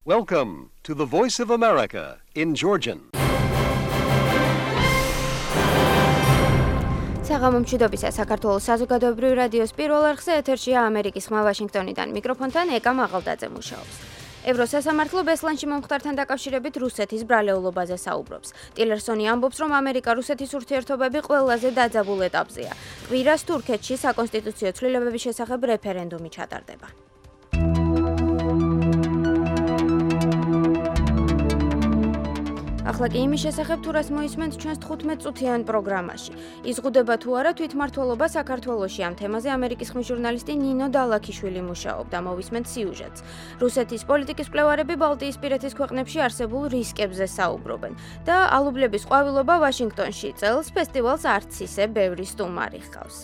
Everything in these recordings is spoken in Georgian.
Welcome to the Voice of America in Georgian. საღამომშვიდობისა საქართველოს საზოგადოებრივი რადიოს პირველ არხზე ეთერშია ამერიკის ხმა ვაშინგტონიდან. მიკროფონთან ეკა მაღალდაძე მუშაობს. ევროსასამართლო ბესლანში მომხდართან დაკავშირებით რუსეთის ბრალეულობაზე საუბრობს. ტილერსონი ამბობს, რომ ამერიკა-რუსეთის ურთიერთობები ყველაზე დაძაბულ ეტაპზეა. კვირას თურქეთში საკონსტიტუციო ცვლილებების შესახებ რეფერენდუმი ჩატარდება. ახლა კი იმის შესახებ თუ რას მოისმენთ ჩვენს 15 წუთიან პროგრამაში. იზღუდება თუ არა თვითმმართველობა საქართველოში ამ თემაზე ამერიკის ხმის ჟურნალისტი ნინო დალაქიშვილი მუშაობდა. მოვისმენთ სიუჟეტს. რუსეთის პოლიტიკის მკვლევარები ბალტიისპირეთის ქვეყნებში არსებულ რისკებზე საუბრობენ და ალუბლების ყვავილობა ვაშინგტონში წელს ფესტივალს არც ისე ბევრი სტუმარი ჰყავს.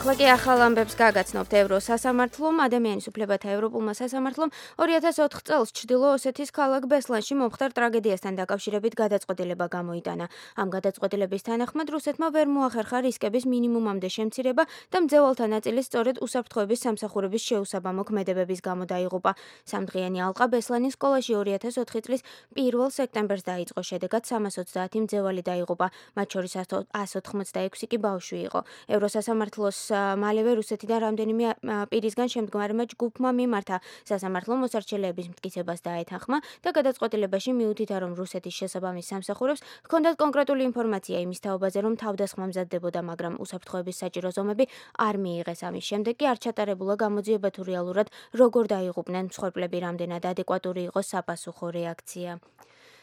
ახლა კი ახალ ამბებს გაგაცნობთ. ევროსასამართლომ, ადამიანის უფლებათა ევროპულმა სასამართლომ 2004 წელს ჩრდილო ოსეთის ქალაქ ბესლანში მომხდარ ტრაგედიასთან დაკავშირებით გადაწყვეტილება გამოიტანა. ამ გადაწყვეტილების თანახმად რუსეთმა ვერ მოახერხა რისკების მინიმუმამდე შემცირება და მძევალთა ნაწილი სწორედ უსაფრთხოების სამსახურების შეუსაბამო ქმედებების გამო დაიღუპა. სამდღიანი ალყა ბესლანის სკოლაში 2004 წლის 1 სექტემბერს დაიწყო. შედეგად 330 მძევალი დაიღუპა, მათ შორის 186 კი ბავშვი იყო. ევროსასამართლოს მალევე რუსეთიდან რამდენიმე პირისგან შემდგარმა ჯგუფმა მიმართა სასამართლო მოსარჩელეების მტკიცებას დაეთანხმა და გადაწყვეტილებაში მიუთითა, რომ რუსეთის შესაბამის სამსახურებს ჰქონდათ კონკრეტული ინფორმაცია იმის თაობაზე, რომ თავდასხმა მზადდებოდა, მაგრამ უსაფრთხოების საჭირო ზომები არ მიიღეს. ამის შემდეგ კი არ ჩატარებულა გამოძიება თუ რეალურად როგორ დაიღუპნენ მსხვერპლები, რამდენად ადეკვატური იყო საპასუხო რეაქცია.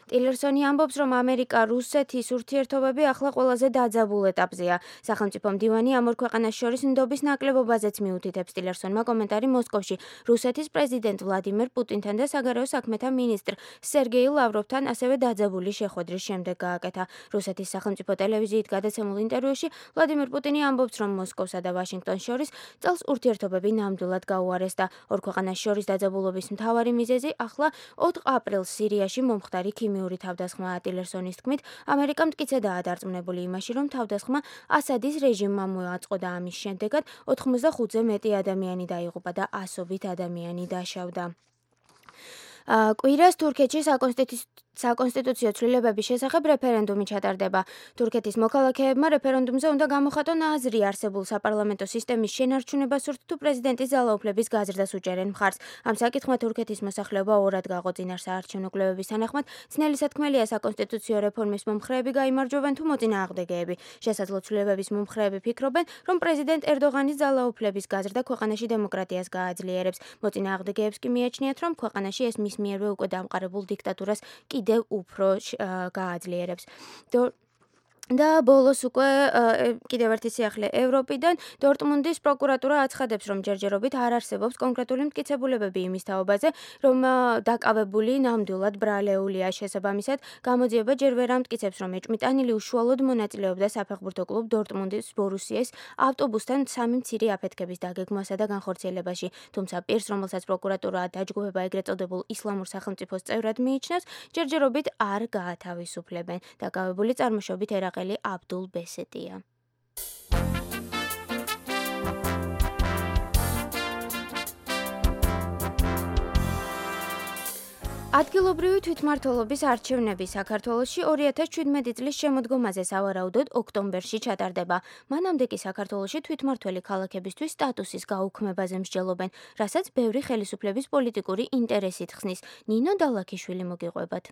ტილერსონი ამბობს, რომ ამერიკა-რუსეთის ურთიერთობები ახლა ყველაზე დაძაბულ ეტაპზეა. სახელმწიფო მდივანი ამ ორ ქვეყანას შორის ნდობის ნაკლებობაზეც მიუთითებს. ტილერსონმა კომენტარი მოსკოვში რუსეთის პრეზიდენტ ვლადიმერ პუტინთან და საგარეო საქმეთა მინისტრ სერგეი ლავროვთან ასევე დაძაბული შეხვედრის შემდეგ გააკეთა. რუსეთის სახელმწიფო ტელევიზიით გადაცემულ ინტერვიუში ვლადიმერ პუტინი ამბობს, რომ მოსკოვსა და ვაშინგტონს შორის წელს ურთიერთობები ნამდვილად გაუარეს და ორ ქვეყანას შორის დაძაბულობის მთავარი მიზეზი ახლა 4 აპრილს სირიაში მომხდარი ქიმიური თავდასხმაა. ტილერსონის თქმით, ამერიკა მტკიცედაა დარწმუნებული იმაში, რომ თავდასხმა ასადის რეჟიმმა მოაწყო და ამის შემდეგად 85-ზე მეტი ადამიანი დაიღუპა და ასობით ადამიანი დაშავდა. კვირას თურქეთში საკონსტიტუციო ცვლილებების შესახებ რეფერენდუმი ჩატარდება. თურქეთის მოქალაქეებმა რეფერენდუმზე უნდა გამოხატონ აზრი არსებულ საპარლამენტო სისტემის შენარჩუნებას სურთ თუ პრეზიდენტის ძალაუფლების გაზრდას უჭერენ მხარს. ამ საკითხმა თურქეთის მოსახლეობა ორად გაყო. წინარ საარჩევნო კვლევების თანახმად ძნელი სათქმელია საკონსტიტუციო რეფორმის მომხრეები გაიმარჯვებენ თუ მოწინააღმდეგეები. შესაძლო ცვლილებების მომხრეები ფიქრობენ, რომ პრეზიდენტ ერდოღანის ძალაუფლების გაზრდა ქვეყანაში დემოკრატიას გააძლიერებს. მოწინააღმდეგეებს კი მიაჩნიათ, რომ ქვეყანაში ეს მის მიერვე უკვე დამყარებულ დიქტატურას კიდევ უფრო გააძლიერებს. და ბოლოს უკვე კიდევ ერთი სიახლე ევროპიდან დორტმუნდის პროკურატურა აცხადებს, რომ ჯერჯერობით არ არსებობს კონკრეტული მტკიცებულებები იმის თაობაზე, რომ დაკავებული ნამდვილად ბრალეულია. შესაბამისად, გამოძიება ჯერ ვერ ამტკიცებს, რომ ეჭვმიტანილი უშუალოდ მონაწილეობდა საფეხბურთო კლუბ დორტმუნდის ბორუსიეს ავტობუსთან 3 მცირე აფეთქების დაგეგმვასა და განხორციელებაში. თუმცა პირს, რომელსაც პროკურატურა დაჯგუფება ეგრეთ წოდებულ ისლამურ სახელმწიფოს წევრად მიიჩნევს, ჯერჯერობით არ გაათავისუფლებენ. დაკავებული წარმოშობით ერაყელი აბდულ ბესეტია. ადგილობრივი თვითმმართველობის არჩევნები საქართველოში 2017 წლის შემოდგომაზე სავარაუდოდ ოქტომბერში ჩატარდება. მანამდე კი საქართველოში თვითმმართველი ქალაქებისთვის სტატუსის გაუქმებაზე მსჯელობენ, რასაც ბევრი ხელისუფლების პოლიტიკური ინტერესით ხსნის. ნინო დალაქიშვილი მოგიყვებათ.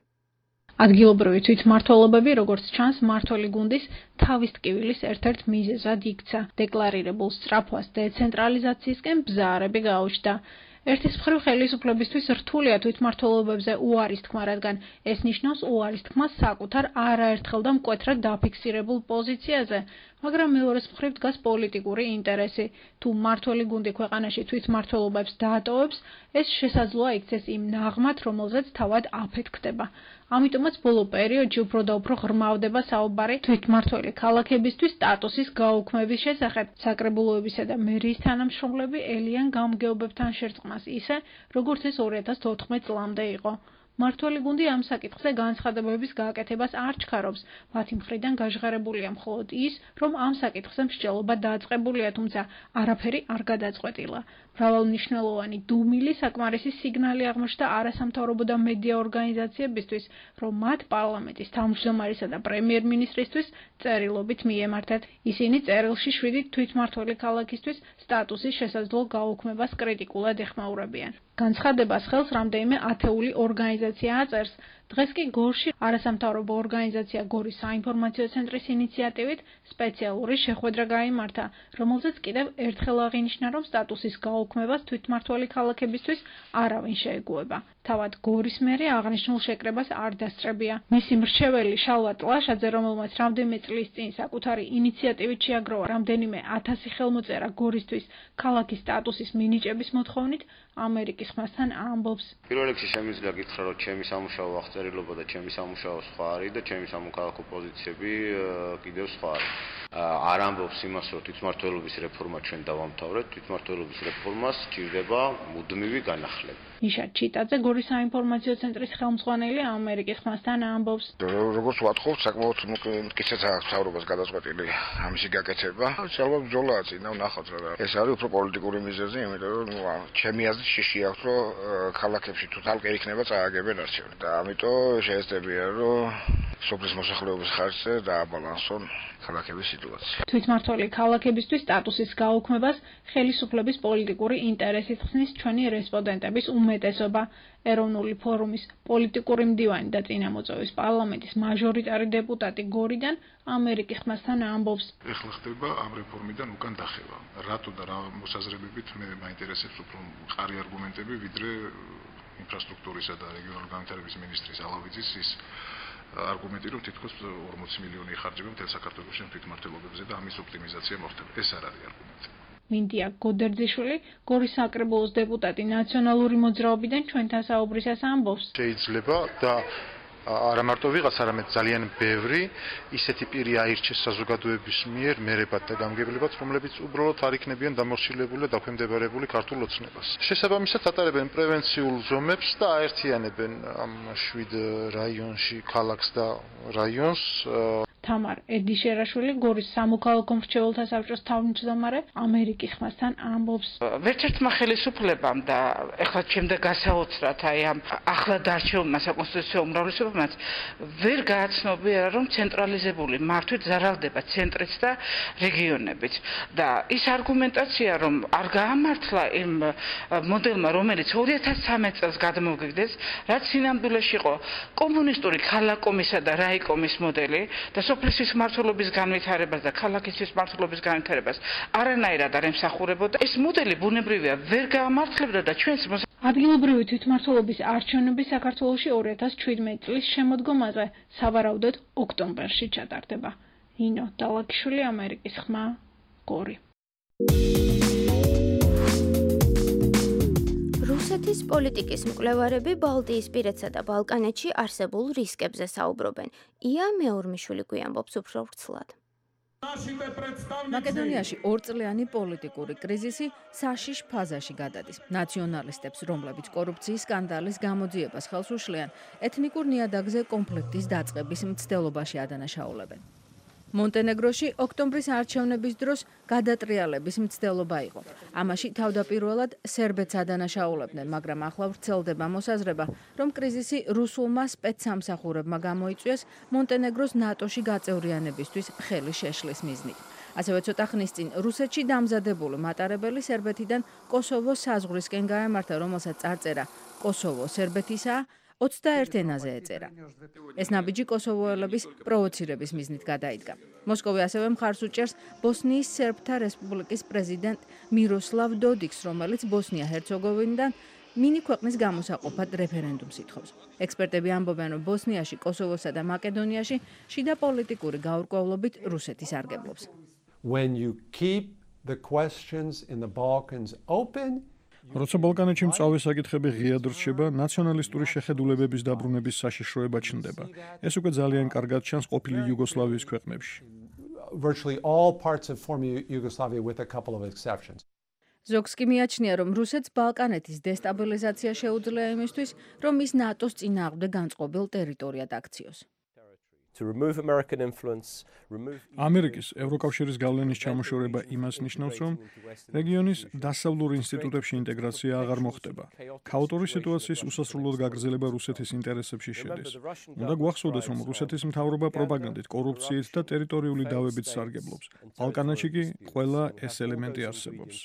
ადგილობრივი თვითმმართველობები, როგორც ჩანს, მმართველი გუნდის თავის ტკივილის ერთ-ერთ მიზეზად იქცა. დეკლარირებულ სწრაფვას დეცენტრალიზაციისკენ ბზარები გაუჩნდა. ერთის მხრივ ხელისუფლებისთვის რთულია თვითმმართველობებზე უარის თქმა, რადგან ეს ნიშნავს უარის თქმას საკუთარ არაერთხელ და მკვეთრად დაფიქსირებულ პოზიციაზე, მაგრამ მეორეს მხრივ დგას პოლიტიკური ინტერესი. თუ მმართველი გუნდი ქვეყანაში თვითმმართველობებს დაატოვებს, ეს შესაძლოა იქცეს იმ ნაღმად, რომელზეც თავად აფეთქდება. ამიტომაც ბოლო პერიოდში უფრო და უფრო ღრმავდება საუბარი თვითმმართველი ქალაქებისთვის სტატუსის გაუქმების შესახებ. საკრებულოებისა და მერიის თანამშრომლები ელიან გამგეობებთან შერწყმას ისე, როგორც ეს 2014 წლამდე იყო. მმართველი გუნდი ამ საკითხზე განცხადებების გაკეთებას არ ჩქარობს. მათი მხრიდან გაჟღერებულია მხოლოდ ის, რომ ამ საკითხზე მსჯელობა დაწყებულია, თუმცა არაფერი არ გადაწყვეტილა. მრავალმნიშვნელოვანი დუმილი საკმარისი სიგნალი აღმოჩნდა არასამთავრობო და მედია ორგანიზაციებისთვის, რომ მათ პარლამენტის თავმჯდომარისა და პრემიერ-მინისტრისთვის წერილობით მიემართათ. ისინი წერილში 7 თვითმმართველი ქალაქისთვის სტატუსის შესაძლო გაუქმებას კრიტიკულად ეხმაურებიან. განცხადებას ხელს რამდენიმე ათეული ორგანიზაცია აწერს. დღეს კი გორში არასამთავრობო ორგანიზაცია გორის საინფორმაციო ცენტრის ინიციატივით სპეციალური შეხვედრა გაიმართა, რომელზეც კიდევ ერთხელ აღინიშნა, რომ სტატუსის გაუქმებას თვითმმართველი ქალაქებისთვის არავინ შეეგუება. თავად გორის მერი აღნიშნულ შეკრებას არ დასწრებია. მისი მრჩეველი შალვა ტლაშაძე, რომელმაც რამდენიმე წლის წინ საკუთარი ინიციატივით შეაგროვა რამდენიმე 1000 ხელმოწერა გორისთვის ქალაქის სტატუსის მინიჭების მოთხოვნით, ამერიკის ხმასთან ამბობს. პირველ რიგში შემიძლია გითხრა, რომ ჩემი სამუშაო აღწერილობა და ჩემი სამუშაო სხვა არის და ჩემი სამოქალაქო პოზიციები კიდევ სხვა არის. არ ამბობს იმას, რომ თვითმმართველობის რეფორმა ჩვენ დავამთავრეთ, თვითმმართველობის რეფორმას სჭირდება მუდმივი განახლება. ნიშა ჩიტაძე გორის საინფორმაციო ცენტრის ხელმძღვანელი ამერიკის ხმასთან ამბობს. როგორც ვათხოვთ, საკმაოდ მტკიცედ აქვს მთავრობას გადაწყვეტილი ამისი გაკეთება. შეიძლება ბრძოლაა წინ და ვნახოთ რა. ეს არის უფრო პოლიტიკური მიზეზი, იმიტომ რომ ჩემი აზრით შიში აქვს, რომ ქალაქებში თუ თალკე იქნება წააგებენ არჩევნები და ამიტომ შეეცდებიან, რომ სოფლის მოსახლეობის ხარჯზე დააბალანსონ ქალაქების სიტუაცია. თვითმმართველი ქალაქებისთვის სტატუსის გაუქმებას ხელისუფლების პოლიტიკური ინტერესით ხსნის ჩვენი რესპონდენტების უმეტესობა. ეროვნული ფორუმის პოლიტიკური მდივანი და წინამოწვევის პარლამენტის მაჟორიტარი დეპუტატი გორიდან ამერიკის ხმასთან ამბობს. ეხლა ხდება ამ რეფორმიდან უკან დახევა. რატო და რა მოსაზრებებით მე მაინტერესებს უფრო მყარი არგუმენტები, ვიდრე ინფრასტრუქტურისა და რეგიონალური განვითარების მინისტრის ალავიძის ის არგუმენტი, რომ თითქოს 40 მილიონი იხარჯება მთელ საქართველოში თვითმმართველობებზე და ამის ოპტიმიზაცია მოხდება. ეს არ არის არგუმენტი. მინდია გოდერძიშვილი, გორის საკრებულოს დეპუტატი ნაციონალური მოძრაობიდან ჩვენთან საუბრისას ამბობს. შეიძლება და არა მარტო ვიღაც, არამედ ძალიან ბევრი ისეთი პირი აირჩეს საზოგადოების მიერ მერებად და გამგებლებად, რომლებიც უბრალოდ არ იქნებიან დამორჩილებული და დაქვემდებარებული ქართულ ოცნებას. შესაბამისად ატარებენ პრევენციულ ზომებს და აერთიანებენ ამ 7 რაიონში ქალაქს და რაიონს. თამარ ედიშერაშვილი, გორის სამოქალაქო მრჩეველთა საბჭოს თავმჯდომარე, ამერიკის ხმასთან ამბობს. ვერცერთმა ხელისუფლებამ და ეხლა შემდეგ გასაოცრად აი ამ ახლად არჩეულმა საკონსტიტუციო უმრავლესობამაც ვერ გააცნობიერა, რომ ცენტრალიზებული მართვით ზარალდება ცენტრიც და რეგიონებიც. და ის არგუმენტაცია, რომ არ გაამართლა იმ მოდელმა, რომელიც 2013 წელს გადმოგვიგდეს, რაც სინამდვილეში იყო კომუნისტური ქალაქომისა და რაიკომის მოდელი და სოფლის მმართველობის განვითარებას და ქალაქის მმართველობის განვითარებას არანაირად არ ემსახურებოდა. ეს მოდელი ბუნებრივია ვერ გაამართლებდა და ჩვენს ადგილობრივი თვითმმართველობის არჩევნები საქართველოში 2017 წლის შემოდგომაზე სავარაუდოდ ოქტომბერში ჩატარდება. ინო დალაკიშვილი, ამერიკის ხმა, გორი. რუსეთის პოლიტიკის მკვლევარები ბალტიისპირეთსა და ბალკანეთში არსებულ რისკებზე საუბრობენ. ია მეორმიშვილი გვიამბობს უფრო ვრცლად. მაკედონიაში ორწლიანი პოლიტიკური კრიზისი საშიშ ფაზაში გადადის. ნაციონალისტებს, რომლებიც კორუფციის სკანდალის გამოძიებას ხელს უშლიან, ეთნიკურ ნიადაგზე კონფლიქტის დაწყების მცდელობაში ადანაშაულებენ. მონტენეგროში ოქტომბრის არჩევნების დროს გადატრიალების მცდელობა იყო. ამაში თავდაპირველად სერბეთს ადანაშაულებდნენ, მაგრამ ახლა ვრცელდება მოსაზრება, რომ კრიზისი რუსულმა სპეცსამსახურებმა გამოიწვიეს მონტენეგროს ნატოში გაწევრიანებისთვის ხელი შეშლის მიზნით. ასევე ცოტა ხნის წინ რუსეთში დამზადებული მატარებელი სერბეთიდან კოსოვოს საზღვრისკენ გაემართა, რომელსაც წარწერა კოსოვო სერბეთისაა, 21 ენაზე ეწერა. ეს ნაბიჯი კოსოვოელების პროვოცირების მიზნით გადაიდგა. მოსკოვი ასევე მხარს უჭერს ბოსნიის სერბთა რესპუბლიკის პრეზიდენტ მიროსლავ დოდიკს, რომელიც ბოსნია-ჰერცეგოვინიდან მინი ქვეყნის გამოსაყოფად რეფერენდუმს ითხოვს. ექსპერტები ამბობენ, რომ ბოსნიაში, კოსოვოსა და მაკედონიაში შიდა პოლიტიკური გაურკვევლობით რუსეთი სარგებლობს. When you keep the questions in the Balkans open, როცა ბალკანეთში მწვავე საკითხები ღიად რჩება, ნაციონალისტური შეხედულებების დაბრუნების საშიშროება ჩნდება. ეს უკვე ძალიან კარგად ჩანს ყოფილი იუგოსლავიის ქვეყნებში. Virtually all parts of former Yugoslavia with a couple of exceptions. ზოგს კი მიაჩნია, რომ რუსეთს ბალკანეთის დესტაბილიზაცია შეუძლია იმისთვის, რომ ის ნატოს წინააღმდეგ განწყობილ ტერიტორიად აქციოს. ამერიკის ევროკავშირის გავლენის ჩამოშორება იმას ნიშნავს, რომ რეგიონის დასავლურ ინსტიტუტებში ინტეგრაცია აღარ მოხდება. ქაოტური სიტუაციის უსასრულოდ გაგრძელება რუსეთის ინტერესებში შედის. უნდა გვახსოვდეს, რომ რუსეთის მთავრობა პროპაგანდით, კორუფციით და ტერიტორიული დავებით სარგებლობს. ბალკანეთში კი ყველა ეს ელემენტი არსებობს.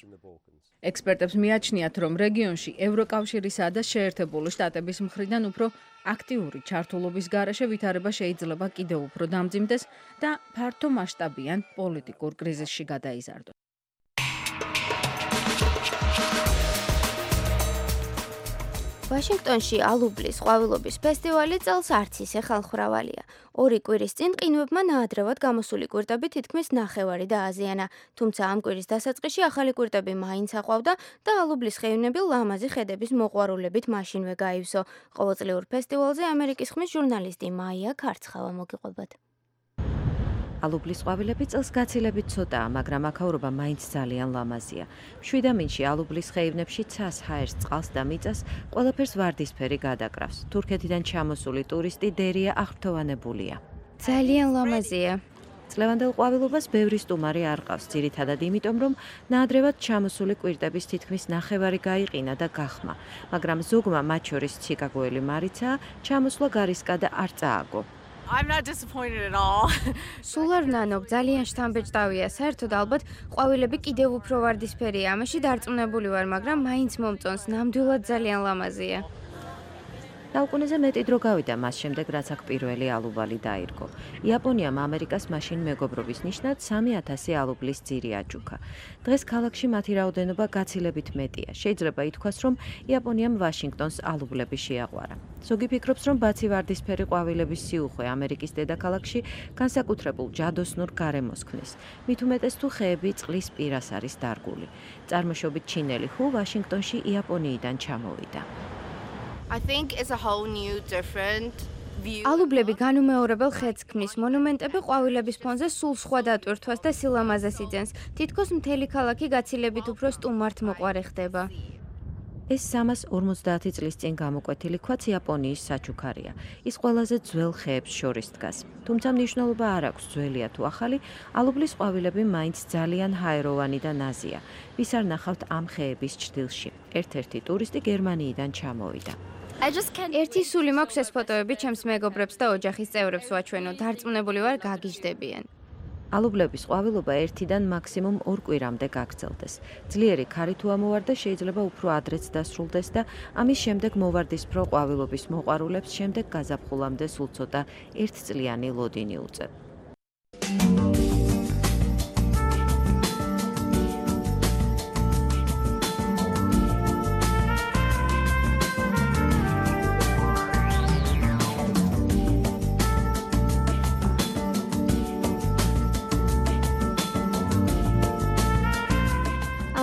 ექსპერტებს მიაჩნიათ, რომ რეგიონში ევროკავშირისა და შეერთებული შტატების მხრიდან უფრო აქტიური ჩართულობის გარეშე ვითარება შეიძლება კიდევ უფრო დამძიმდეს და ფართო მასშტაბიან პოლიტიკურ კრიზისში გადაიზარდოს. ვაშინგტონში ალუბლის ყვავილობის ფესტივალი წელს არც ისე ხალხმრავალია. 2 კვირის წინ ყინვებმა ნაადრევად გამოსული კვირტები თითქმის ნახევარი დააზიანა. თუმცა ამ კვირის დასაწყისში ახალი კვირტები მაინც აყვავდა და ალუბლის ხეივნები ლამაზი ხედების მოყვარულებით მაშინვე გაივსო. ყოველწლიურ ფესტივალზე ამერიკის ხმის ჟურნალისტი მაია ქარცხავა მოგიყვებათ. ალუბლის ყვავილები წელს გაცილებით ცოტაა, მაგრამ აქაურობა მაინც ძალიან ლამაზია. მშვიდამინში ალუბლის ხეივნებში ცას, ჰაერს, წყალს და მიწას ყველაფერს ვარდისფერი გადაკრავს. თურქეთიდან ჩამოსული ტურისტი დერია აღფრთოვანებულია. ძალიან ლამაზია. წლევანდელ ყვავილობას ბევრი სტუმარი არ ყავს, ძირითადად იმიტომ, რომ ნაადრევად ჩამოსული კვირტების თითქმის ნახევარი გაიყინა და გახმა, მაგრამ ზოგმა, მათ შორის ჩიკაგოელი მარიცაა, ჩამოსვლა გარისკადა არ წააგო. I'm not disappointed at all. სულ არ ნანობ, ძალიან შთამბეჭდავია. საერთოდ ალბათ ყვავილები კიდევ უფრო ვარდისფერია. ამაში დარწმუნებული ვარ, მაგრამ მაინც მომწონს, ნამდვილად ძალიან ლამაზია. საუკუნეზე მეტი დრო გავიდა მას შემდეგ, რაც აქ პირველი ალუბალი დაირგო. იაპონიამ ამერიკას მაშინ მეგობრობის ნიშნად 3000 ალუბლის ძირი აჯუქა. დღეს ქალაქში მათი რაოდენობა გაცილებით მეტია. შეიძლება ითქვას, რომ იაპონიამ ვაშინგტონს ალუბლები შეაყვარა. ზოგი ფიქრობს, რომ ბაცი ვარდისფერი ყვავილების სიუხვე ამერიკის დედაქალაქში განსაკუთრებულ ჯადოსნურ გარემოს ქმნის. მით უმეტეს თუ ხეები წყლის პირას არის დარგული. წარმოშობით ჩინელი ჰუ ვაშინგტონში იაპონიიდან ჩამოვიდა. I think it's a whole new different view. ალუბლები განუმეორებელ ხედს ქმნის. მონუმენტები ყვავილების ფონზე სულ სხვა დატვირთვას და სილამაზეს იძენს. თითქოს მთელი ქალაქი გაცილებით უფრო სტუმართ მოყვარე ხდება. ეს 350 წლის წინ გამოკვეთილი ქვაც იაპონიის საჩუქარია. ის ყველაზე ძველ ხეებს შორის დგას. თუმცა მნიშვნელობა არ აქვს ძველია თუ ახალი, ალუბლის ყვავილები მაინც ძალიან ჰაეროვანი და ნაზია. ვის არ ნახავთ ამ ხეების ჭრილში. ერთ-ერთი ტურისტი გერმანიიდან ჩამოვიდა. ერთი სული მაქვს ეს ფოტოები ჩემს მეგობრებს და ოჯახის წევრებს ვაჩვენო. დარწმუნებული ვარ, გაგიჟდებიან. ალუბლების ყვავილობა 1-დან მაქსიმუმ 2 კვირამდე გაგრძელდეს. ძლიერი ქარი თუ ამოვარდა, შეიძლება უფრო ადრეც დასრულდეს და ამის შემდეგ მოვარდისფრო ყვავილობის მოყვარულებს შემდეგ გაზაფხულამდე სულ ცოტა 1-წლიანი ლოდინი უწევ.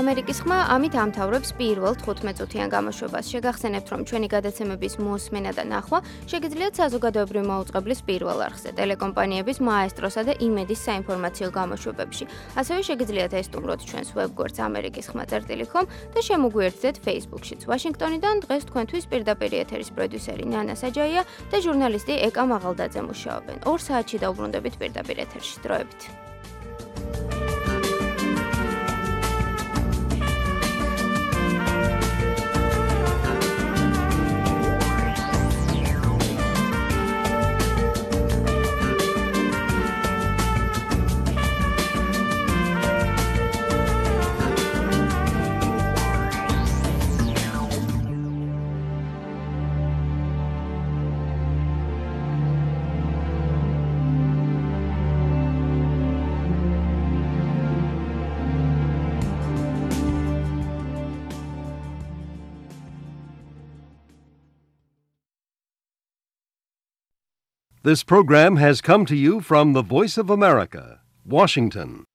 ამერიკის ხმა ამით ამთავრებს პირველ 15 წუთიან გამოშვებას. შეგახსენებთ, რომ ჩვენი გადაცემების მოსმენა და ნახვა შეგიძლიათ საზოგადოებრივი მაუწყებლის პირველ არხზე, ტელეკომპანიების მაესტროსა და იმედის საინფორმაციო გამოშვებებში. ასევე შეგიძლიათ ესტუმროთ ჩვენს ვებგვერდს amerikiskhma.com და შემოგვიერთდეთ Facebook-შიც. ვაშინგტონიდან დღეს თქვენთვის პირდაპირ ეთერის პროდიუსერი ნანა საჯაია და ჟურნალისტი ეკა მაღალდაძე მუშაობენ. 2 საათში დაუბრუნდებით პირდაპირ ეთერში. დროებით. This program has come to you from the Voice of America, Washington.